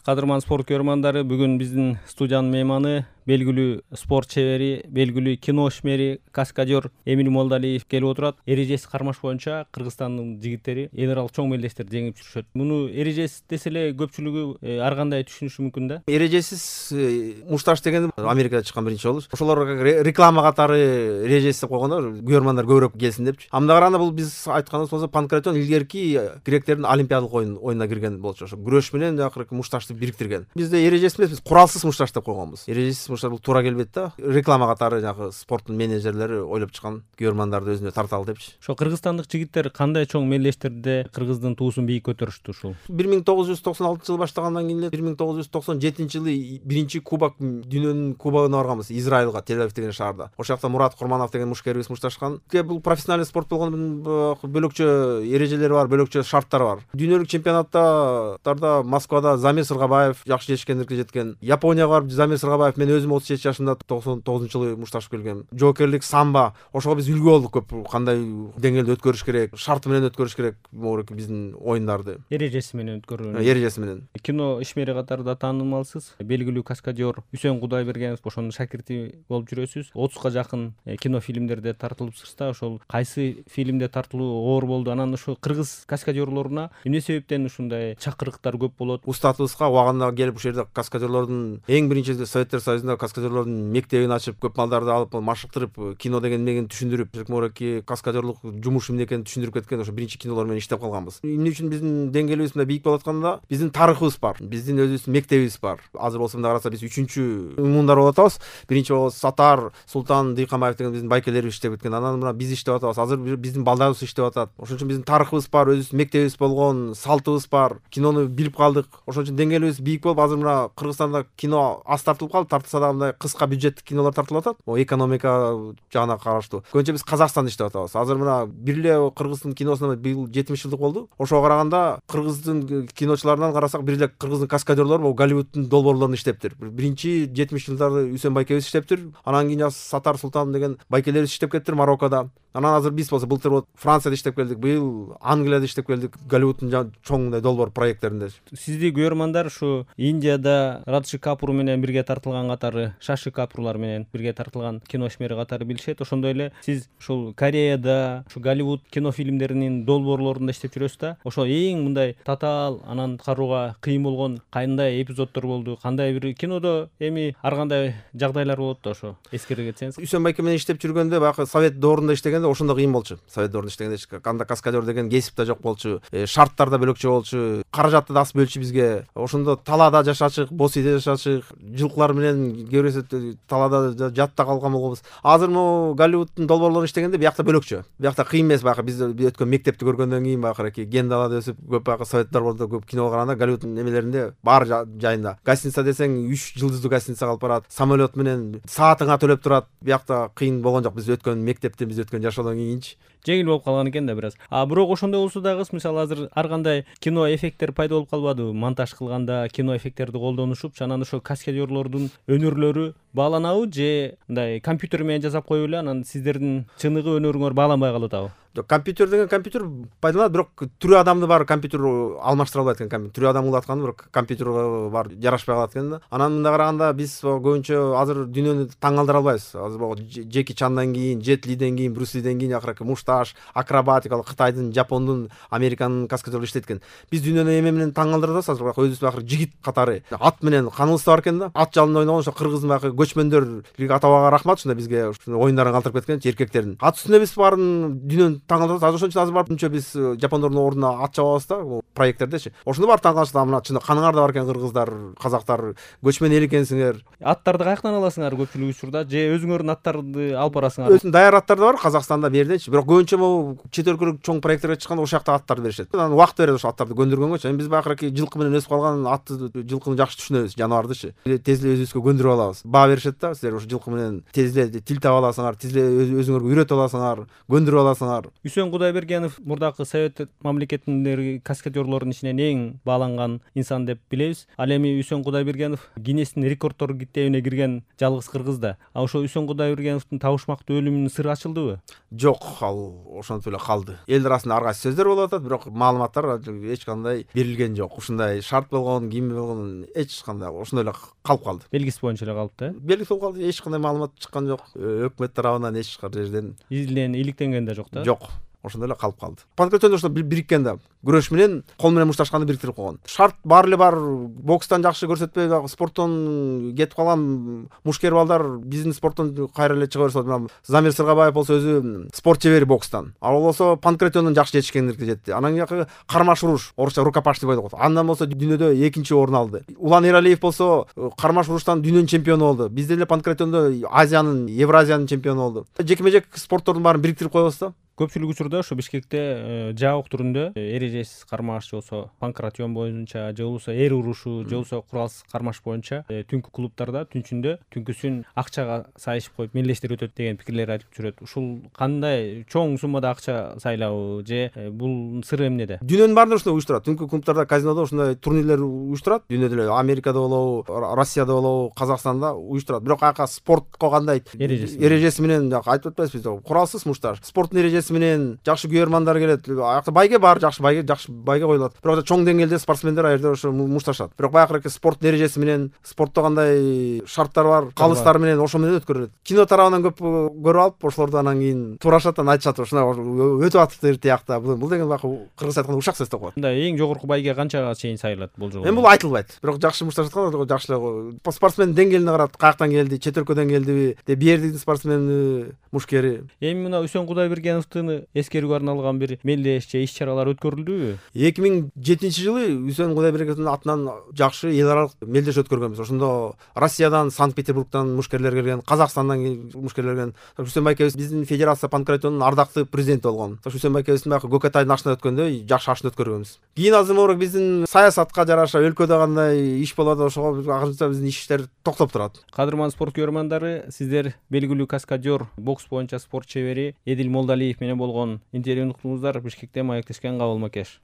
Кадырман спорт көрөрмандары, бүгүн биздин студиянын мейманы белгилүү спорт чебери, белгилүү кино ишмери, каскадер Эмиль Молдалиев келип отурат. Эрежеси кармаш боюнча Кыргызстандын жигиттери эл аралык чоң мелдештерди жеңип жүрүшөт. Муну эрежесиз десе эле көпчүлүгү ар кандай түшүнүшү мүмкүн да. Эрежесиз мушташ деген Америкада чыккан биринчи болуп. Ошолор реклама катары эрежесиз деп койгондор, көрөрмандар көбүрөөк келсин депчи. Анда караганда бул биз айтканыбыз болсо панкратион илгерки гректердин олимпиадалык oyununa кирген болчу. Ошо күрөш менен акыркы мушташты бириктирген. Бизде эрежесиз эмес, биз куралсыз мушташ деп койгонбуз. Эрежесиз мушташ бул туура келбейт да. Реклама катары жанагы спорттун менеджерлери ойлоп чыккан, көрөрмандарды өзүнө тарталы депчи. Ошо кыргызстандык жигиттер кандай чоң мелдештерде Кыргыздын туусун бийик көтөрүштү ушул? 1996-жылы баштагандан кийин эле 1997-жылы биринчи кубок, дүйнөнүн кубогуна барганбыз Израилга, Тель-Авив деген шаарда. Ошол жакта Мурат Курманов деген мушкерибиз мушташкан. Бул профессионалдык спорт болгондон бөлөкчө эрежелери бар, бөлөкчө шарттары бар. Дүйнөлүк чемпионаттарда Москвада Замир Сыргабаев жакшы жетишкендикке жеткен. Японияга барып Замир Сыргабаев, мен өзүм 37 жашымда 99-жылы мушташып келгем. Жоокерлик, самбо, ошого биз үлгү болдук көп. Кандай деңгээлде өткөрүш керек, шарты менен өткөрүш керек биздин оюндарды. Эрежеси менен өткөрүү. Эрежеси менен. Кино ишмери катарында таанымалсыз. Белгилүү каскадер Үсөн Кудайбергенов, ошонун шакирти болуп жүрөсүз. 30га жакын кино фильмдерде тартылыпсыз да. Ошол кайсы фильмде тартылуу оор болду? Анан ушу кыргыз каскадерлоруна эмне себептен ушундай чакырыктар көп болот? Устатыбызга убагында келип ушул жерде каскадерлордун эң биринчи Советтер Союзунда каскадерлордун мектебин ачып, көп балдарды алып машыктырып, кино деген эмнегени түшүндүрүп, каскадерлык жумуш эмне экенин түшүндүрүп кеткен ошо биринчи кинолор менен иштеп калганбыз. Эмне үчүн биздин деңгээлибиз мындай бийик болуп атканда, биздин тарыхыбыз бар, биздин өзүбүздүн мектебибиз бар. Азыр болсо мында караса биз 3-чү муундар болуп атабыз. Биринчи болсо Сатар Султан Дыйканбаев деген биздин байкелерибиз иштеп кеткен. Анан мына биз иштеп атабыз. Азыр биздин балдарыбыз иштеп атат. Ошон үчүн биздин тарыхыбыз бар, өзүбүздүн мектебибиз болгон, салтыбыз бар. Кинону билип калдык. Ошон үчүн деңгээлибиз бийик болуп, азыр мына Кыргызстанда кино аз тартылып калды. Тартылса дагы мындай кыска бюджеттик кинолор тартылып атат. Экономика жагына караштуу. Көбүнчө биз Казакстанда иштеп атабыз. Азыр мына бир эле Кыргыздын киносуна быйыл 70 жылдык болду. Ошого караганда Кыргыздын киночуларынан карасак, бир эле Кыргыздын каскадерлору бул Голливудтун долбоорлорунда иштептир. Биринчи 70 жылдары Үсөн байкебиз иштептир. Анан кийин Сатар Султан деген байкелерибиз иштеп кеттир Мароккодо. Анан азыр биз болсо былтыр Францияда иштеп келдик, быйыл Англияда иштеп келдик, Голливудтун чоң долбоор проекттеринде. Сизди көрөрмандар ушу Индияда Раджи Капур менен бирге тартылган катары, Шаши Капурлар менен бирге тартылган кино ишмери катары билишет. Ошондой эле сиз ушул Кореяда, ушу Голливуд кино фильмдеринин долбоорлорунда иштеп жүрөсүз да. Ошо эң мындай татаал, анан карууга кыйын болгон кандай эпизоддор болду? Кандай бир кинодо эми ар кандай жагдайлар болот да, ошо эскере кетсеңиз. Үсөн байке менен иштеп жүргөндө, баягы Совет доорунда иштегенде ошондо кыйын болчу. Совет доорунда иштегенде кандай каскадер деген кесип да жок болчу. Шарттар да бөлөкчө болчу. Каражатты да аз бөлчү бизге. Ошондо талаада жашачык, бос үйдө жашачык, жылкылар менен кээ талаада жатта калган болобуз. Азыр могу Голливудтун долбоорлорунда иштегенде биякта бөлөкчө. Биякта кыйын эмес, баягы биз өткөн мектепти көргөндөн кийин баягы ген далада өсүп, көп баягы Совет долбоорунда көп кино караганда Голливудтун эмелеринде бар жайында. Гостиница десең 3 жылдыздуу гостиница калып барат. Самолет менен саатыңа төлөп турат. Биякта кыйын болгон жок. Биз өткөн мектептен, биз өткөн жашоодон кийинчи жеңил болуп калган экен да бир аз. Бирок ошондой болсо дагы, мисалы азыр ар кандай кино эффекттер пайда болуп калбадыбы? Монтаж кылганда кино эффекттерди колдонушуп, анан ошо каскадерлордун өнөрлөрү бааланабы же мындай компьютер менен жасап коюп эле анан сиздердин чыныгы өнөрүңөр бааланбай калып атабы? Компьютер деген компьютер пайдаланат, бирок түрү адамды бар компьютер алмаштыра албайт экен. Түрү адам кылып атканды бирок компьютерге бар жарашпай калат экен да. Анан мында караганда биз көбүнчө азыр дүйнөнү таң калтыра албайбыз. Азыр Джеки Чандан кийин, Джет Лиден кийин, Брюс Лиден кийин акыркы мушташ, акробатикалык Кытайдын, Жапондун, Американын каскадерлери иштеткен. Биз дүйнөнү эме менен таң калтыра алабыз, азыр өзүбүз акыркы жигит катары ат менен каныбыз бар экен да. Ат жалында ойногон ошо Кыргыздын баягы көчмөндөр атабага рахмат, ушундай бизге оюндарын калтырып кеткен эркектердин. Ат үстүндө биз баарын дүйнөнү таң калтырабыз. Ошон үчүн азыр барып биз жапондордун ордуна ат чабабыз да, проекттердечи. Ошондо бар таң калышат, мына чын каныңарда бар экен кыргыздар, казактар, көчмөн эл экенсиңер. Аттарды каяктан аласыңар көпчүлүк учурда, же өзүңөрдүн аттарды алып барасыңар? Өзүнүн даяр аттары да бар Казакстанда, бердечи. Бирок көбүнчө могу чет өлкөлүк чоң проекттерге чыкканда ошол жакта аттарды беришет. Анан убакыт берет ошо аттарды көндүргөнгөчү. Эми биз байкы жылкы менен өсүп калган атты, жылкыны жакшы түшүнөбүз, жаныбардычы. Тез эле өзүбүзгө көндүрүп алабыз. Баа беришет да, силер ошо жылкы менен тез эле тил таба аласыңар, тез эле өзүңөргө үйрөтүп аласыңар, көндүрүп аласыңар. Үсөн Кудайбергенов мурдакы Совет мамлекетиндеги каскадерлордун ичинен эң бааланган инсан деп билебиз. Ал эми Үсөн Кудайбергенов Гиннестин рекорддор китебине кирген жалгыз кыргыз да. А ошо Үсөн Кудайбергеновдун табышмактуу өлүмүнүн сыры ачылдыбы? Жок, ал ошентип эле калды. Эл арасында ар кайсы сөздөр болуп атат, бирок маалыматтар эч кандай берилген жок. Ушундай шарт болгон, ким болгон эч кандай ошондой эле калып калды. Белгиси боюнча эле калыпты. Белгиси болуп калды, эч кандай маалымат чыккан жок. Өкмөт тарабынан эч жерден Иликтенген да жок да. жок. Ошондой эле калып калды. Панкратиондо ошо бириккен да. Күрөш менен кол менен мушташканды бириктирип койгон. Шарт баары эле бар. Бокстан жакшы көрсөтпөй, спорттон кетип калган мушкер балдар биздин спорттон кайра эле чыга берсе, Замир Сыргабаев болсо өзү спорт чебери бокстан. Ал болсо панкратиондон жакшы жетишкендикке жетти. Анан кийинки кармаш уруш, орусча рукопашный бой деп коет. Андан болсо дүйнөдө экинчи орун алды. Улан Эралиев болсо кармаш уруштан дүйнөнүн чемпиону болду. Бизде эле панкратиондо Азиянын, Евразиянын чемпиону болду. Жекме-жек спорттордун баарын бириктирип коебуз да. Көпчүлүк учурда ошо Бишкекте жабык түрүндө эрежесиз кармаш же болбосо панкратион боюнча же болбосо эр урушу же болбосо куралсыз кармаш боюнча түнкү клубтарда түнчүндө түнкүсүн акчага сайышып коюп мелдештер өтөт деген пикирлер айтып жүрөт. Ушул кандай чоң суммада акча сайлабы же бул сыры эмнеде? Дүйнөнүн баарында ушундай уюштурат. Түнкү клубтарда, казинодо ушундай турнирлер уюштурат. Дүйнөдө эле Америкада болобу, Россияда болобу, Казакстанда уюштурат. Бирок аяка спортко кандай эрежеси менен айтып атпайбызбы биз? Куралсыз мушташ. Спорттун эрежеси менен жакшы күйөрмандар келет. Аякта байге бар, жакшы байге коюлат. Бирок чоң деңгээлде спортсмендер ал жерде ошо мушташат. Бирок баягы спорттун эрежеси менен, спортто кандай шарттар бар, калыстар менен ошо менен өткөрүлөт. Кино тарабынан көп көрүп алып, ошолорду анан кийин туурашат, анан айтышат, ушундай өтүп атыптыр тиякта. Бул деген баягы кыргыз айтканда ушак сөз деп коет. Мындай эң жогорку байге канчага чейин сайылат бул жолу? Эми бул айтылбайт. Бирок жакшы мушташат, жакшы эле спортсмендин деңгээлине карап, каяктан келди, чет өлкөдөн келдиби, биердин спортсмени, мушкери. Эми мына Үсөн Кудайбергеновдун эскерүүгө арналган бир мелдеш же иш-чаралар өткөрүлдүбү? 2007-жылы Үсөн Кудайбергеновдун атынан жакшы эл аралык мелдеш өткөргөнбүз. Ошондо Россиядан, Санкт-Петербургдан мушкерлер келген, Казакстандан мушкерлер келген. Үсөн байкебиз биздин федерация панкратионунун ардактуу президенти болгон. Үсөн байкебиздин баягы Көкөтайдын ашына өткөндө жакшы ашына өткөргөнбүз. Кийин азыр биздин саясатка жараша өлкөдө кандай иш болот, ошого акырынча биздин иштер токтоп турат. Кадырман спорт көрөрмандары, сиздер белгилүү каскадер, бокс боюнча спорт чебери Эдил Молдалиев менен болгон интервьюну уктуңуздар. Бишкектен маектешкен Кабыл Макеш.